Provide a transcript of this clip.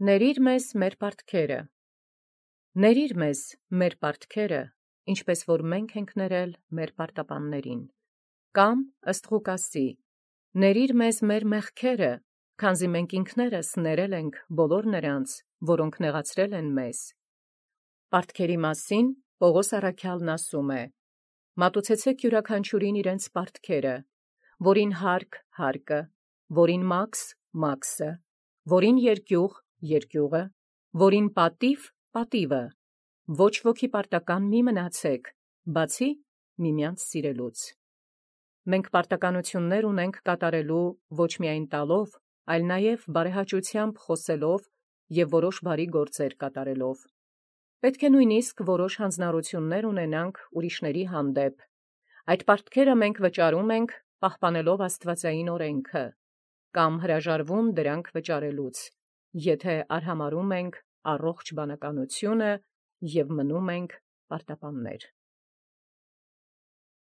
Ներիր մեզ մեր պարտքերը, ներիր մեզ մեր պարտքերը, ինչպես որ մենք ենք ներել մեր պարտապաններին, կամ ըստ Ղուկասի, ներիր մեզ մեր մեղքերը, քանզի մենք ինքներս ներել ենք բոլոր նրանց, որոնք նեղացրել են մեզ։ Պարտքերի մասին Պողոս առաքյալն ասում է. մատուցեցեք յուրաքանչյուրին իրենց պարտքերը, որին հարկ հարկը, որին մաքս մաքսը, որին երկյուղ երկյուղը, որին պատիվ պատիվը, ոչ ոքի պարտական մի մնացեք, բացի միմյանց սիրելուց։ Մենք պարտականություններ ունենք կատարելու ոչ միայն տալով, այլ նաև բարեհաճությամբ խոսելով և որոշ բարի գործեր կատարելով։ Պետք է նույնիսկ որոշ հանձնառություններ ունենանք ուրիշների հանդեպ։ Այդ պարտքերը մենք վճարում ենք, պահպանելով աստվածային օրենքը, կամ հրաժարվում դրանք վճարելուց, եթե արհամարհում ենք առողջ բանականությունը և մնում ենք պարտապաններ։